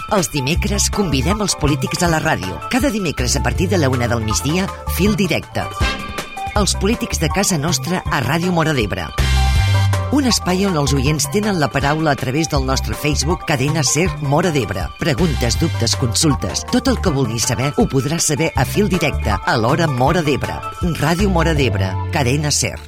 Els dimecres convidem els polítics a la ràdio. Cada dimecres a partir de la 1 del migdia, Fil Directe. Els polítics de casa nostra a Ràdio Móra d'Ebre. Un espai on els oients tenen la paraula a través del nostre Facebook Cadena Ser Móra d'Ebre. Preguntes, dubtes, consultes, tot el que vulguis saber ho podràs saber a Fil Directe a l'hora Móra d'Ebre. Ràdio Móra d'Ebre, Cadena Ser.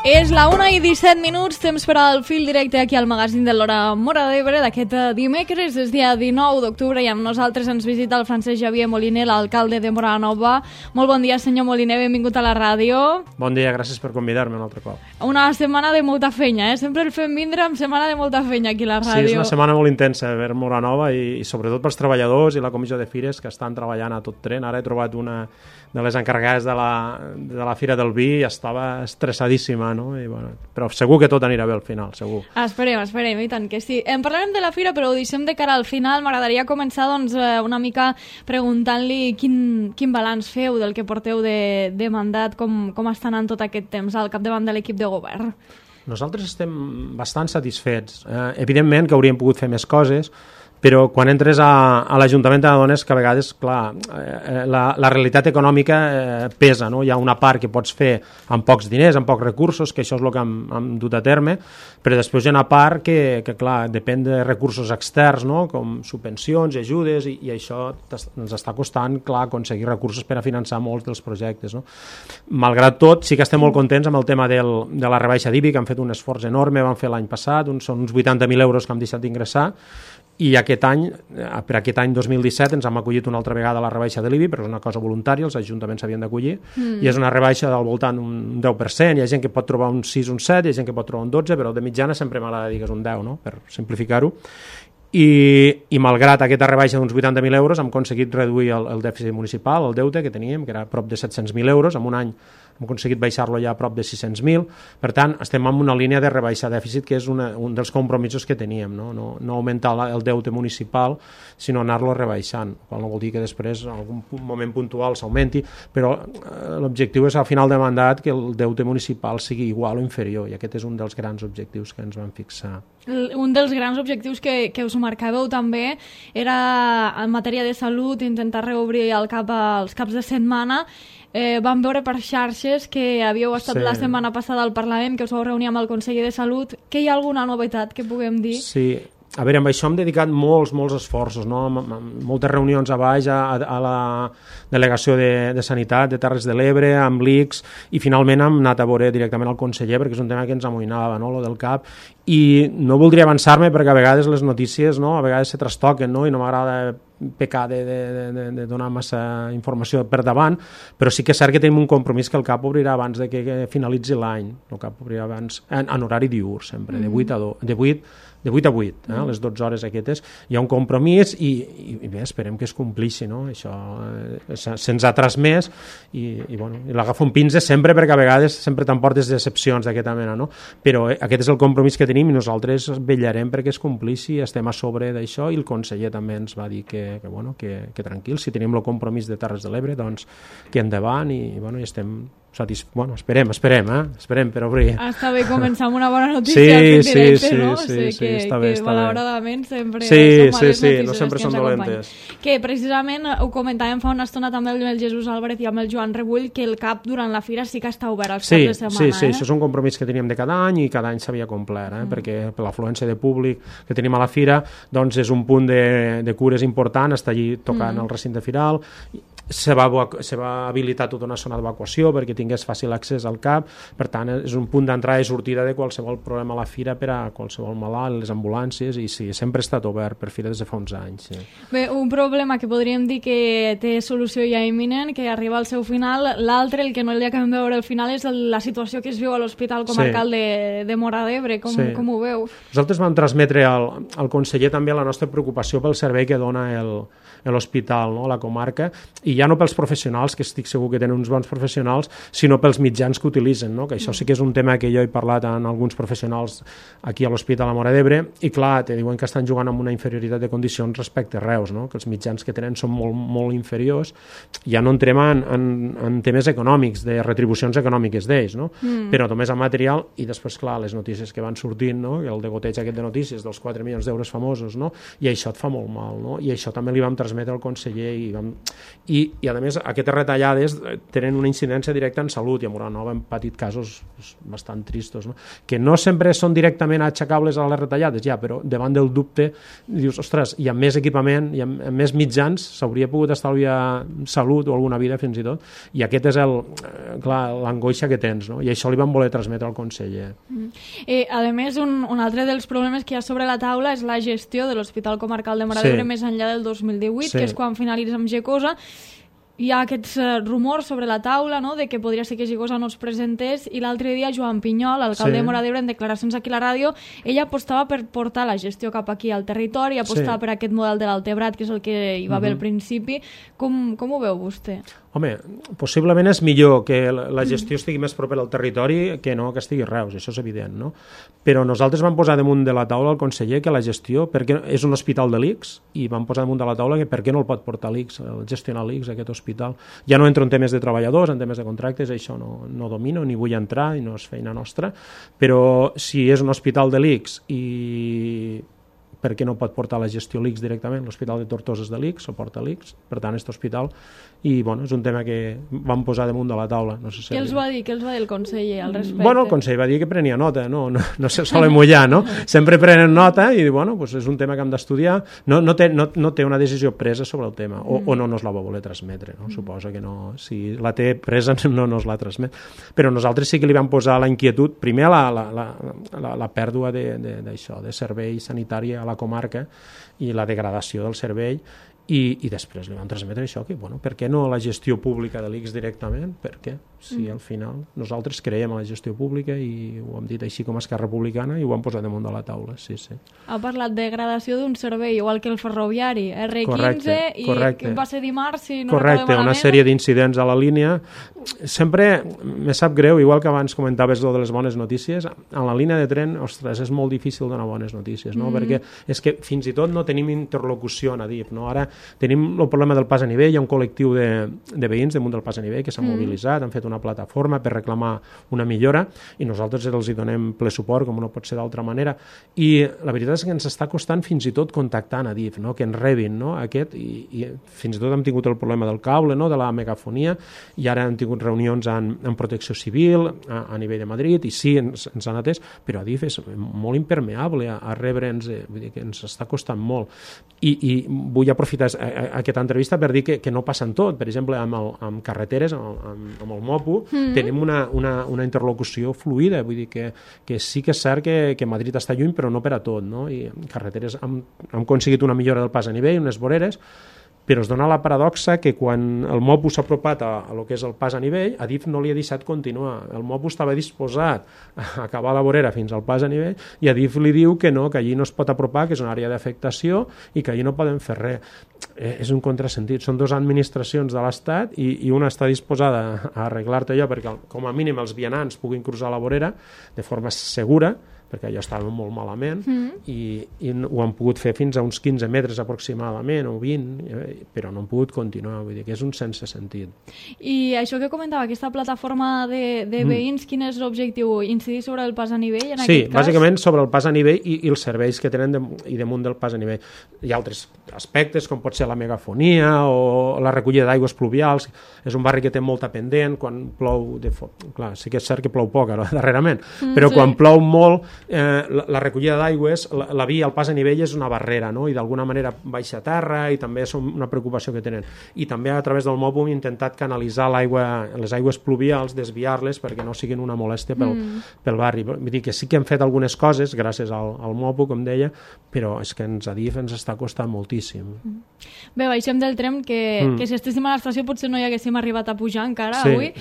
És la 1:17, temps per al Fil Directe aquí al magazín de l'hora Móra d'Ebre d'aquest dimecres, és dia 19 d'octubre i amb nosaltres ens visita el Francesc Xavier Moliner, l'alcalde de Móra Nova. Molt bon dia, senyor Moliner, benvingut a la ràdio. Bon dia, gràcies per convidar-me un altre cop. Una setmana de molta feina, sempre el fem vindre amb setmana de molta feina aquí a la ràdio. Sí, és una setmana molt intensa per Móra Nova i sobretot pels treballadors i la comissió de fires que estan treballant a tot tren. Ara he trobat una de les encarregades de la Fira del Vi i estava estressadíssima, no? I, bueno, però segur que tot anirà bé al final, segur. Esperem, i tant que sí. En parlarem de la Fira, però ho deixem de cara al final. M'agradaria començar doncs, una mica preguntant-li quin balanç feu del que porteu de mandat, com està anant tot aquest temps al capdavant de l'equip de govern. Nosaltres estem bastant satisfets. Evidentment que hauríem pogut fer més coses, però quan entres a l'Ajuntament t'adones que a vegades, clar, la realitat econòmica pesa, no? Hi ha una part que pots fer amb pocs diners, amb pocs recursos, que això és el que hem dut a terme, però després hi ha una part que clar, depèn de recursos externs, no? Com subvencions, ajudes, i això ens està costant, clar, aconseguir recursos per a finançar molts dels projectes, no? Malgrat tot, sí que estem molt contents amb el tema de la rebaixa d'IBI, que han fet un esforç enorme, van fer l'any passat, són uns 80.000 euros que hem deixat d'ingressar, i aquest any, per aquest any 2017 ens hem acollit una altra vegada a la rebaixa de l'IBI, però és una cosa voluntària, els ajuntaments s'havien d'acollir, i és una rebaixa del voltant d'un 10%, hi ha gent que pot trobar un 6, un 7, hi ha gent que pot trobar un 12, però de mitjana sempre m'agrada dir que és un 10, no? Per simplificar-ho. I malgrat aquesta rebaixa d'uns 80.000 euros hem aconseguit reduir el dèficit municipal, el deute que teníem, que era prop de 700.000 euros, en un any hem aconseguit baixar-lo ja a prop de 600.000, per tant estem en una línia de rebaixar dèficit que és un dels compromisos que teníem, no augmentar el deute municipal sinó anar-lo rebaixant, qual no vol dir que després en algun moment puntual s'augmenti, però l'objectiu és al final de mandat que el deute municipal sigui igual o inferior, i aquest és un dels grans objectius que ens vam fixar. Un dels grans objectius que us marcàveu també era en matèria de salut, intentar reobrir els caps de setmana. Vam veure per xarxes que havíeu estat la setmana passada al Parlament, que us vau reunir amb el conseller de Salut, que hi ha alguna novetat que puguem dir? Sí, a veure, amb això hem dedicat molts esforços, no? Moltes reunions a baix a la delegació de Sanitat de Terres de l'Ebre, amb l'ICS, i finalment hem anat a veure directament al conseller perquè és un tema que ens amoïnava, no? Lo del CAP, i no voldria avançar-me perquè a vegades les notícies, no? A vegades se trastoquen, no? I no m'agrada pecar de donar massa informació per davant, però sí que és cert que tenim un compromís que el CAP obrirà abans de que finalitzi l'any. El CAP obrirà abans, en horari diürn sempre, de 8 a 8, les 12 hores aquestes. Hi ha un compromís i bé, esperem que es complixi, no? Això se'ns ha transmès i l'agafo un pinze sempre perquè a vegades sempre t'emportes decepcions d'aquesta mena, no? Però aquest és el compromís que tenim i nosaltres vetllarem perquè es complixi, estem a sobre d'això, i el conseller també ens va dir que tranquil, si tenim el compromís de Terres de l'Ebre, doncs que endavant, i estem esperem per obrir. Està bé començar amb una bona notícia directe, no? Sí, està bé. Malauradament sempre són males notícies, no sempre són dolentes. Que precisament ho comentàvem fa una estona també amb el Jesús Álvarez i amb el Joan Rebull, que el CAP durant la fira sí que està obert als caps de setmana. Sí, això és un compromís que teníem de cada any i cada any s'havia complert, perquè per l'afluència de públic que tenim a la fira doncs és un punt de cures important, està allí tocant el recinte firal. Se va habilitar tota una zona d'evacuació perquè tingués fàcil accés al CAP, per tant és un punt d'entrada i sortida de qualsevol problema a la fira per a qualsevol malalt, les ambulàncies, i sí, sempre ha estat obert per fira des de fa uns anys. Sí. Bé, un problema que podríem dir que té solució ja imminent, que arriba al seu final. L'altre, el que no li acabem de veure al final, és la situació que es viu a l'Hospital Comarcal de Móra d'Ebre. Com ho veu? Nosaltres vam transmetre al conseller també la nostra preocupació pel servei que dona l'hospital, no? A la comarca, i ja no pels professionals, que estic segur que tenen uns bons professionals, sinó pels mitjans que utilitzen, no? Que això sí que és un tema que jo he parlat amb alguns professionals aquí a l'Hospital de Móra d'Ebre, i clar, te diuen que estan jugant amb una inferioritat de condicions respecte a Reus, no? Que els mitjans que tenen són molt, molt inferiors. Ja no entrem en temes econòmics, de retribucions econòmiques d'ells, no? Però només en material, i després, clar, les notícies que van sortint, no? El degoteig aquest de notícies dels 4 milions d'euros famosos, no? I això et fa molt mal, no? I això també li vam transmetre al conseller i a més, aquestes retallades tenen una incidència directa en salut, i a Móra Nova hem patit casos bastant tristos, no? Que no sempre són directament aixecables a les retallades, ja, però davant del dubte dius, ostres, i amb més equipament i amb més mitjans s'hauria pogut estalviar salut o alguna vida fins i tot, i aquest és l'angoixa que tens, no? I això li vam voler transmetre al conseller. A més, un altre dels problemes que hi ha sobre la taula és la gestió de l'Hospital Comarcal de Móra d'Ebre més enllà del 2018, que és quan finalitza amb Gecosa. Hi ha aquests rumors sobre la taula, no?, de que podria ser que Gecosa no es presentés, i l'altre dia Joan Pinyol, alcalde de Móra d'Ebre, en declaracions aquí a la ràdio, ella apostava per portar la gestió cap aquí al territori, apostava per aquest model de l'Altebrat, que és el que hi va haver al principi. Com ho veu vostè? Home, possiblement és millor que la gestió estigui més propera al territori que no que estigui a Reus, això és evident, no? Però nosaltres vam posar damunt de la taula al conseller que la gestió, perquè és un hospital de l'ICS, i vam posar damunt de la taula que per què no el pot portar l'ICS, gestionar l'ICS, aquest hospital. Ja no entro en temes de treballadors, en temes de contractes, això no domino, ni vull entrar, i no és feina nostra, però si és un hospital de l'ICS i per què no pot portar la gestió l'ICS directament? L'Hospital de Tortosa és de l'ICS, o porta l'ICS, per tant, aquest hospital, i bueno, és un tema que vam posar damunt de la taula. No sé si què els va dir el conseller al respecte? Bueno, el conseller va dir que prenia nota, no se solen mullar, no? Sempre prenen nota i bueno, pues és un tema que hem d'estudiar. No té una decisió presa sobre el tema, o no nos la va voler transmetre, no? Suposa que no, si la té presa no nos la transmet. Però nosaltres sí que li vam posar la inquietud, primer la pèrdua d'això, de servei sanitari a la comarca i la degradació del servei, i després li vam transmetre això, que bueno, per què no la gestió pública de l'ICS directament? Per què? Si al final nosaltres creiem en la gestió pública, i ho hem dit així com a Esquerra Republicana, i ho hem posat damunt de la taula, sí. Ha parlat de degradació d'un servei, igual que el ferroviari, R15, correcte. I va ser dimarts, si no correcte, una sèrie d'incidents a la línia. Sempre me sap greu, igual que abans comentaves de les bones notícies, en la línia de tren, ostres, és molt difícil donar bones notícies, no? Perquè és que fins i tot no tenim interlocució en Adif, no? Ara tenim el problema del pas a nivell, hi ha un col·lectiu de veïns damunt del pas a nivell que s'ha mobilitzat, han fet una plataforma per reclamar una millora, i nosaltres els hi donem ple suport, com no pot ser d'altra manera, i la veritat és que ens està costant fins i tot contactar a Adif, no? Que ens rebin, no? I fins i tot hem tingut el problema del cable, no? De la megafonia, i ara hem tingut reunions en protecció civil a nivell de Madrid, i sí, ens han atès, però Adif és molt impermeable a rebre'ns, vull dir que ens està costant molt, i vull aprofitar aquesta entrevista per dir que no passa en tot. Per exemple, amb carreteres, amb el MOPU, tenim una interlocució fluida, vull dir que sí que és cert que Madrid està lluny, però no per a tot, no? I en carreteres hem aconseguit una millora del pas a nivell, unes voreres, però es dona la paradoxa que quan el MOPU s'ha apropat a lo que és el pas a nivell, Adif no li ha deixat continuar. El MOPU estava disposat a acabar la vorera fins al pas a nivell, i Adif li diu que no, que allí no es pot apropar, que és una àrea d'afectació i que allí no poden fer res. És un contrasentit. Són dues administracions de l'Estat i una està disposada a arreglar-te allò perquè com a mínim els vianants puguin cruzar la vorera de forma segura, perquè allò estava molt malament, i ho han pogut fer fins a uns 15 metres aproximadament, o 20, però no han pogut continuar, vull dir que és un sense sentit. I això que comentava, aquesta plataforma de veïns, quin és l'objectiu? Incidir sobre el pas a nivell, en aquest cas? Sí, bàsicament sobre el pas a nivell i els serveis que tenen i damunt del pas a nivell. Hi ha altres aspectes, com pot ser la megafonia o la recollida d'aigües pluvials. És un barri que té molta pendent, quan plou, clar, sí que és cert que plou poc ara, darrerament, però quan plou molt, la recollida d'aigües, la via, el pas a nivell és una barrera, no? I d'alguna manera baixa a terra, i també és una preocupació que tenen. I també a través del MOPU hem intentat canalitzar les aigües pluvials, desviar-les perquè no siguin una molèstia pel barri. Vull dir que sí que hem fet algunes coses gràcies al MOPU, com deia, però és que a Adif ens està costant moltíssim. Bé, baixem del tren, que si estéssim a l'estació potser no hi haguéssim arribat a pujar encara avui.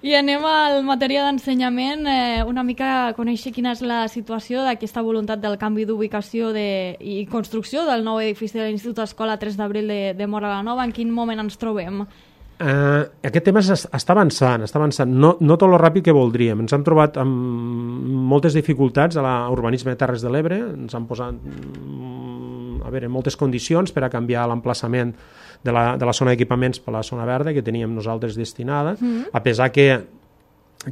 I anem al matèria d'ensenyament, una mica conèixer conèixer quina és la situació d'aquesta voluntat del canvi d'ubicació i construcció del nou edifici de l'Institut Escola 3 d'Abril de Móra la Nova. En quin moment ens trobem? Aquest tema està avançant, no tot lo ràpid que voldríem. Ens hem trobat amb moltes dificultats a l'urbanisme de Terres de l'Ebre, ens han posat moltes condicions per a canviar l'emplaçament de la zona d'equipaments per la zona verda que teníem nosaltres destinada, a pesar que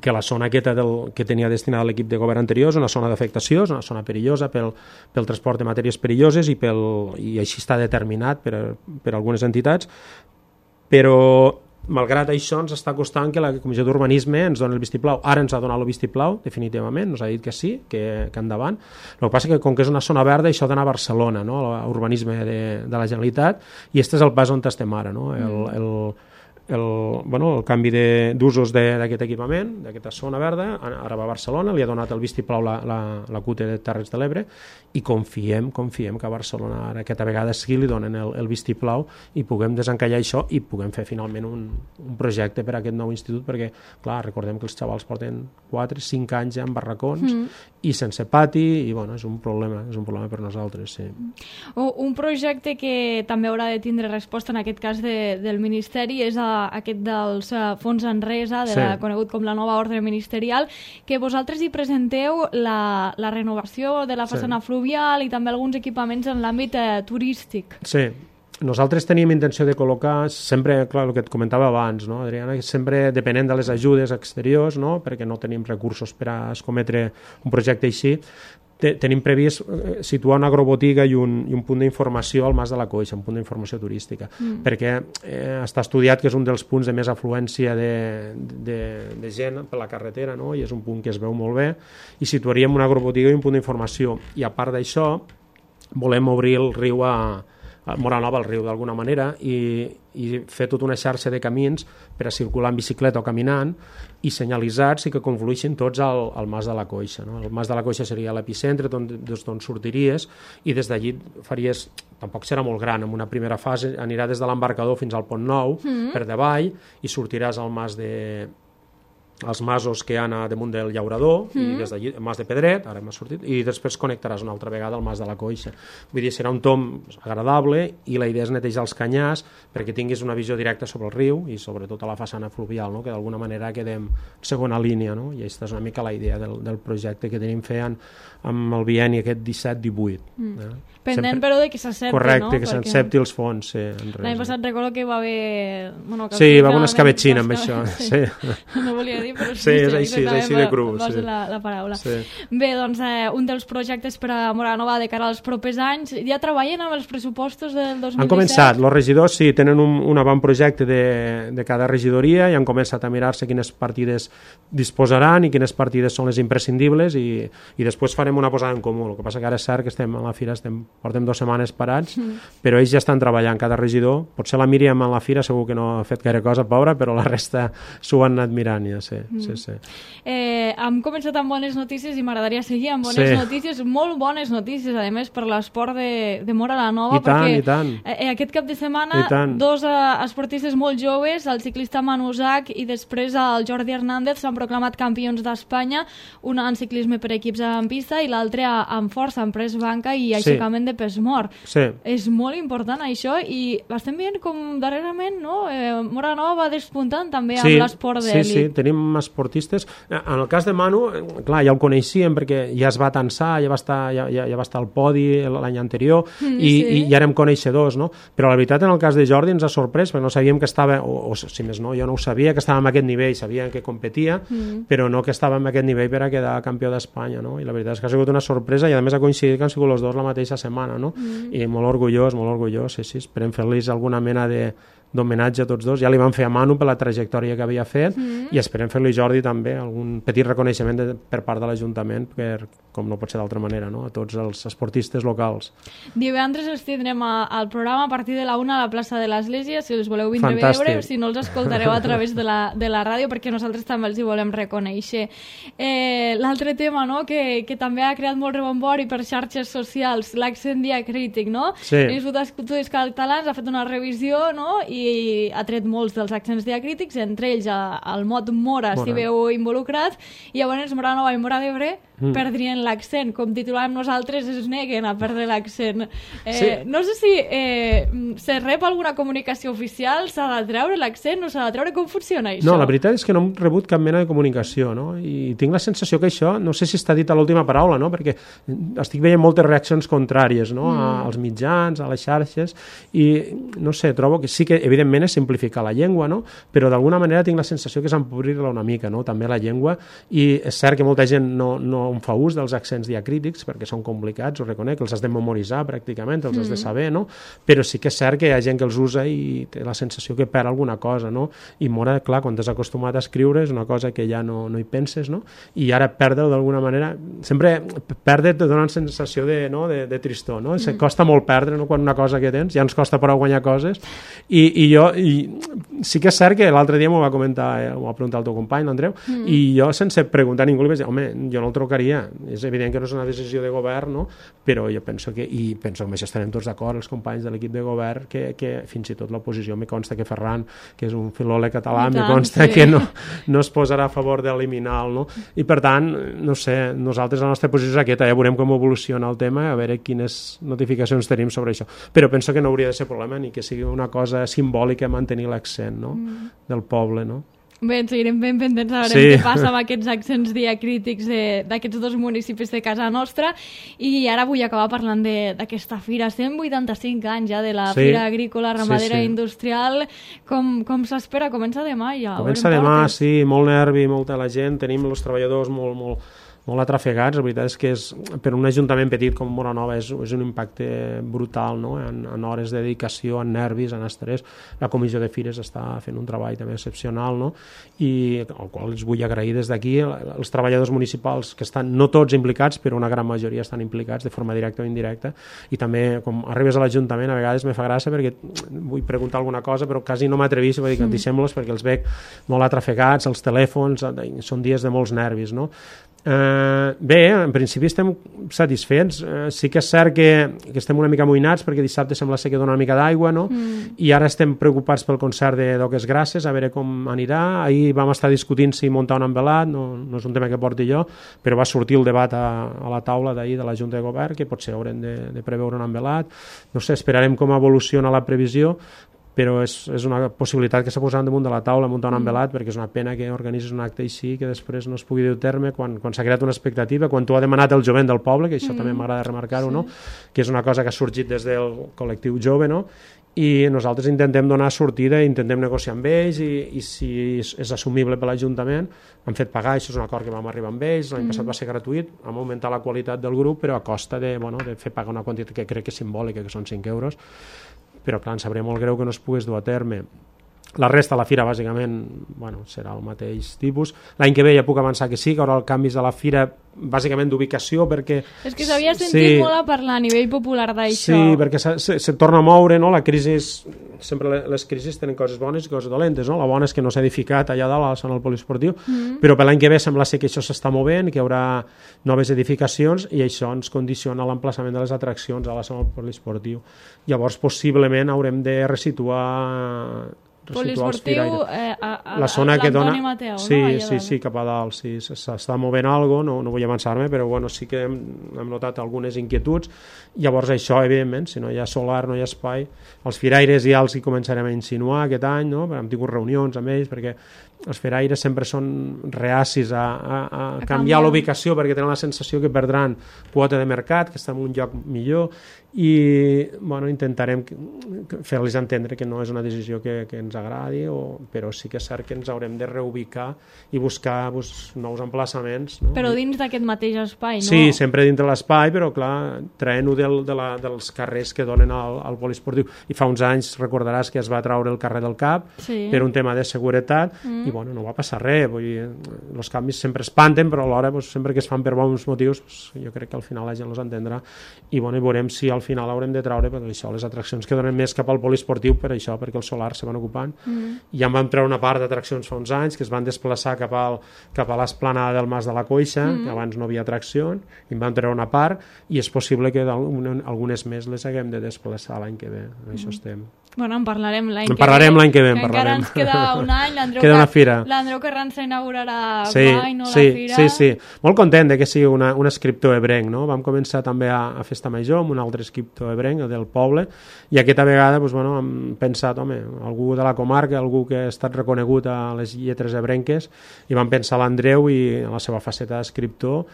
la zona aquesta que tenia destinada l'equip de govern anterior és una zona d'afectació, és una zona perillosa pel transport de matèries perilloses i així està determinat per algunes entitats, però malgrat això ens està costant que la Comissió d'Urbanisme ens doni el vistiplau. Ara ens ha donat el vistiplau, definitivament, ens ha dit que sí, que endavant. El que passa és que com que és una zona verda això ha d'anar a Barcelona, no? A l'urbanisme de la Generalitat, i este és el pas on estem ara, no? El canvi d'usos d'aquest equipament, d'aquesta zona verda, ara va a Barcelona, li ha donat el vistiplau la CUTE de Terres de l'Ebre, i confiem que a Barcelona ara aquesta vegada sí li donen el vistiplau i puguem desencallar això i puguem fer finalment un projecte per a aquest nou institut, perquè clar, recordem que els xavals porten 4-5 anys ja en barracons i sense pati, i bueno, és un problema per nosaltres, sí. Un projecte que també haurà de tindre resposta en aquest cas del Ministeri és aquest dels fons Enresa, conegut com la nova ordre ministerial, que vosaltres hi presenteu la renovació de la façana fluvial i també alguns equipaments en l'àmbit turístic. Sí, nosaltres teníem intenció de col·locar sempre, clar, el que et comentava abans, no, Adriana, sempre depenent de les ajudes exteriors, no, perquè no tenim recursos per a escometre un projecte així, tenim previst situar una agrobotiga i un punt d'informació al Mas de la Coixa, un punt d'informació turística, perquè està estudiat que és un dels punts de més afluència de gent per la carretera, no? I és un punt que es veu molt bé, i situaríem una agrobotiga i un punt d'informació, i a part d'això volem obrir el riu a Móra Nova al riu d'alguna manera i fer tota una xarxa de camins per a circular en bicicleta o caminant i senyalitzats i que confluïssin tots al Mas de la Coixa, no? El Mas de la Coixa seria l'epicentre des d'on sortiries i des d'allí faries, tampoc serà molt gran, en una primera fase anirà des de l'embarcador fins al Pont Nou per davall i sortiràs al Mas els masos que hi ha damunt del Llaurador i des d'allí, el Mas de Pedret, ara m'ha sortit, i després connectaràs una altra vegada al Mas de la Coixa. Vull dir, serà un tomb agradable i la idea és netejar els canyars perquè tinguis una visió directa sobre el riu i sobretot a la façana fluvial, no? Que d'alguna manera quedem segona línia, no? I aquesta és una mica la idea del projecte que tenim fent amb el bienni aquest 17-18. Pendent, però, de que s'accepti, correcte, no? que s'accepti els fons, sí. L'any passat recordo que va haver... Sí, va haver una escabetxina amb això. Sí. No volia dir, però sí, és així de cru. Va ser la paraula. Sí. Bé, doncs, un dels projectes per a Móra Nova de cara als propers anys, ja treballen amb els pressupostos del 2017? Han començat, els regidors sí, tenen un avantprojecte de cada regidoria i han començat a mirar-se quines partides disposaran i quines partides són les imprescindibles i després farem una posada en comú. El que passa que ara és cert que estem a la fira, portem 2 setmanes parats, però ells ja estan treballant, cada regidor. Potser la Míriam a la fira segur que no ha fet gaire cosa, pobra, però la resta s'ho han anat mirant ja, sí. Hem començat amb bones notícies i m'agradaria seguir amb bones notícies, molt bones notícies, a més, per l'esport de Móra la Nova, perquè aquest cap de setmana 2 esportistes molt joves, el ciclista Manu Zach i després el Jordi Hernández, s'han proclamat campions d'Espanya, un en ciclisme per equips en pista i l'altre en força, en pres banca i aixecament de pes mort. És molt important això i estem veient com darrerament Móra Nova va despuntant també amb l'esport d'elit. Sí, tenim esportistes. En el cas de Manu, clar, ja el coneixíem perquè ja es va tensar, ja va estar al podi l'any anterior i ja érem coneixedors, no? Però la veritat en el cas de Jordi ens ha sorprès perquè no sabíem que estava, o si més no, jo no ho sabia, que estava en aquest nivell, sabia que competia, però no que estava en aquest nivell per a quedar campió d'Espanya, no? I la veritat és que ha sigut una sorpresa i a més ha coincidit que han sigut els dos la mateixa setmana, no? I molt orgullós, sí, esperem fer-los alguna mena d'homenatge a tots dos. Ja li van fer a Manu per la trajectòria que havia fet i esperem fer-li a Jordi també algun petit reconeixement per part de l'Ajuntament, com no pot ser d'altra manera, no? A tots els esportistes locals. Divendres els tindrem al programa a partir de la 1 a la plaça de l'Església, si els voleu vindre a veure, si no els escoltareu a través de la ràdio, perquè nosaltres també els hi volem reconèixer. L'altre tema, no?, que també ha creat molt rebombori per xarxes socials, l'accent diacrític, no? L'Institut d'Estudis Catalans ha fet una revisió, no?, i ha tret molts dels accents diacrítics, entre ells el mot Mora s'hi veu involucrat, i llavors Móra Nova i Móra d'Ebre perdrien l'accent. Com titulàvem nosaltres, es neguen a perdre l'accent. Sí. No sé si se rep alguna comunicació oficial, s'ha de treure l'accent, no s'ha de treure, com funciona això? No, la veritat és que no hem rebut cap mena de comunicació, no? I tinc la sensació que això, no sé si està dit a l'última paraula, no? Perquè estic veient moltes reaccions contràries, no? Als mitjans, a les xarxes, i no sé, trobo que sí que evidentment és simplificar la llengua, no? Però d'alguna manera tinc la sensació que és empobrir-la una mica, no? També la llengua, i és cert que molta gent no en fa ús dels accents diacrítics perquè són complicats, ho reconec, els has de memoritzar pràcticament, els has de saber, no? Però sí que és cert que hi ha gent que els usa i té la sensació que perd alguna cosa, no? I mora, clar, quan t'has acostumat a escriure és una cosa que ja no hi penses, no? I ara perdre-ho d'alguna manera, sempre perdre te dona una sensació de tristor, no? Costa molt perdre, no? Quan una cosa que tens, ja ens costa prou guanyar coses, i sí que és cert que l'altre dia m'ho va comentar, m'ho va preguntar el teu company, l'Andreu, i jo sense preguntar a ningú li vaig dir, home, jo no el trucaria, és evident que no és una decisió de govern, no? Però jo penso que, i penso que amb això estarem tots d'acord, els companys de l'equip de govern, que fins i tot l'oposició, me consta que Ferran, que és un filòleg català, me consta que no es posarà a favor d'eliminar-lo, no? I per tant, no sé, nosaltres la nostra posició és aquesta, ja veurem com evoluciona el tema, a veure quines notificacions tenim sobre això, però penso que no hauria de ser problema ni que sigui una cosa simbòlica mantenir l'accent, no? Del poble, no? Bé, ens seguirem ben pendents a veure què passa amb aquests accents diacrítics d'aquests dos municipis de casa nostra. I ara vull acabar parlant d'aquesta fira. 185 anys ja de la Fira Agrícola, Ramadera i Industrial. Com s'espera? Comença demà ja. Comença demà, sí, molt nervi, molta la gent. Tenim els treballadors molt atrafegats. La veritat és que per un ajuntament petit com Móra-Nova és un impacte brutal, no? En hores de dedicació, en nervis, en estrès. La comissió de fires està fent un treball també excepcional, no? I al qual els vull agrair des d'aquí. Els treballadors municipals que estan, no tots implicats, però una gran majoria estan implicats de forma directa o indirecta, i també com arribes a l'Ajuntament a vegades me fa gràcia perquè vull preguntar alguna cosa però quasi no m'atrevís, vull dir que deixem-los perquè els veig molt atrafegats, els telèfons, són dies de molts nervis, no? Bé, en principi estem satisfets. Sí que és cert que estem una mica amoïnats perquè dissabte sembla ser que dona una mica d'aigua, no? I ara estem preocupats pel concert de Doques Grasses, a veure com anirà. Ahir vam estar discutint si muntar un envelat, no és un tema que porti jo, però va sortir el debat a la taula d'ahir de la Junta de Govern que potser haurem de preveure un envelat. No sé, esperarem com evoluciona la previsió, però és una possibilitat que s'ha posat damunt de la taula muntar un envelat, perquè és una pena que organitzis un acte així que després no es pugui dur terme quan s'ha creat una expectativa, quan tu ha demanat el jovent del poble, que això també m'agrada remarcar-ho, no? Que és una cosa que ha sorgit des del col·lectiu jove, no? I nosaltres intentem donar sortida, intentem negociar amb ells i si és assumible per l'Ajuntament, hem fet pagar, això és un acord que vam arribar amb ells, l'any passat va ser gratuït, vam augmentar la qualitat del grup, però a costa de fer pagar una quantitat que crec que és simbòlica, que són 5 euros, però clar, ens sabria molt greu que no es pogués dur a terme. La resta de la fira, bàsicament, serà el mateix tipus. L'any que ve ja puc avançar que sí, que hi haurà canvis de la fira, bàsicament d'ubicació, perquè... És que s'havia sentit molt a parlar a nivell popular d'això. Sí, perquè se torna a moure, no? La crisi sempre les crisis tenen coses bones i coses dolentes, no? La bona és que no s'ha edificat allà dalt a la zona del poliesportiu, però per l'any que ve sembla ser que això s'està movent, que hi haurà noves edificacions i això ens condiciona l'emplaçament de les atraccions a la zona del poliesportiu. Llavors, possiblement haurem de resituar poliesportiu a la zona que dona Mateu, sí, cap a dalt, sí, s'està movent alguna cosa, no vull avançar-me, però sí que hem notat algunes inquietuds. Llavors això, evidentment, si no hi ha solar, no hi ha espai, els firaires ja els hi començarem a insinuar aquest any, no? Hem tingut reunions amb ells perquè els firaires sempre són reacis a canviar l'ubicació perquè tenen la sensació que perdran quota de mercat, que està en un lloc millor, i intentarem fer-los entendre que no és una decisió que ens agradi, però sí que és cert que ens haurem de reubicar i buscar nous emplaçaments, no? Però dins d'aquest mateix espai, no? Sí, sempre dintre l'espai, però clar, traient-ho dels carrers que donen al poliesportiu. I fa uns anys recordaràs que es va traure el carrer del Cap per un tema de seguretat i no va passar res. Vull dir, els canvis sempre espanten, però alhora sempre que es fan per bons motius jo crec que al final la gent els entendrà i veurem si al final haurem de traure això, les atraccions que donen més cap al poliesportiu per això, perquè els solars se van ocupant. Ja en vam treure una part d'atraccions fa uns anys que es van desplaçar cap a l'esplanada del Mas de la Coixa, que abans no havia atraccions, i en vam treure una part i és possible que algunes més les haguem de desplaçar l'any que ve. Això estem. Bueno, en parlarem l'any que ve. En parlarem l'any que ve, en Encara parlarem. ens queda un any. Queda una fira. L'Andreu Carranza inaugurarà Sí, guai, no, la fira? sí. Molt content de que sigui un escriptor ebrenc, no? Vam començar també a Festa Major amb un altre escriptor ebrenc, del poble, i aquesta vegada doncs, bueno, hem pensat, home, algú de la comarca, algú que ha estat reconegut a les lletres ebrenques, i vam pensar l'Andreu i a la seva faceta d'escriptor,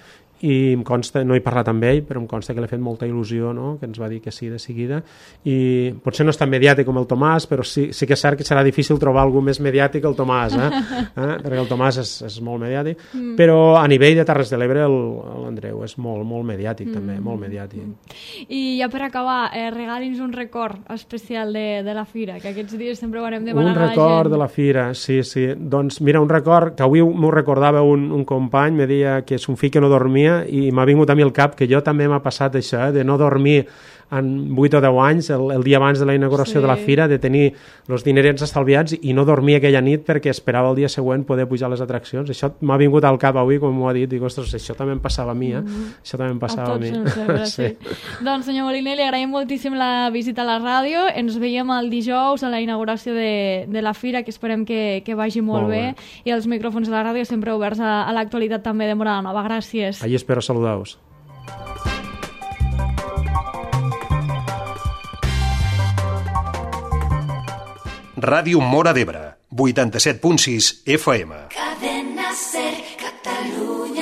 i em consta, no he parlat amb ell, però em consta que l'ha fet molta il·lusió, no? Que ens va dir que sí de seguida, i potser no és tan mediàtic com el Tomàs, però sí que és cert que serà difícil trobar algú més mediàtic que el Tomàs, perquè el Tomàs és molt mediàtic, però a nivell de Terres de l'Ebre l'Andreu és molt mediàtic també, molt mediàtic. I ja per acabar, regali'ns un record especial de la fira, que aquests dies sempre ho anem demanant a la gent. Un record de la fira, sí. Doncs mira, un record que avui m'ho recordava un company, me deia que és un fill que no dormia, i m'ha vingut a mi al cap que jo també m'ha passat això, de no dormir en 8 o 10 anys, el dia abans de la inauguració de la fira, de tenir els dinerets estalviats i no dormir aquella nit perquè esperava el dia següent poder pujar a les atraccions. Això m'ha vingut al cap avui, com m'ho ha dit, dic, ostres, això també em passava a mi, Això també em passava a mi. Sí. Doncs, senyor Moliner, li agraïm moltíssim la visita a la ràdio, ens veiem el dijous a la inauguració de la fira, que esperem que vagi molt bé, i els micròfons de la ràdio sempre oberts a l'actualitat també de Móra la Nova. Gràcies. Allí espero saludar-vos. Ràdio Móra d'Ebre, 87.6 FM. Cadena Ser, Catalunya.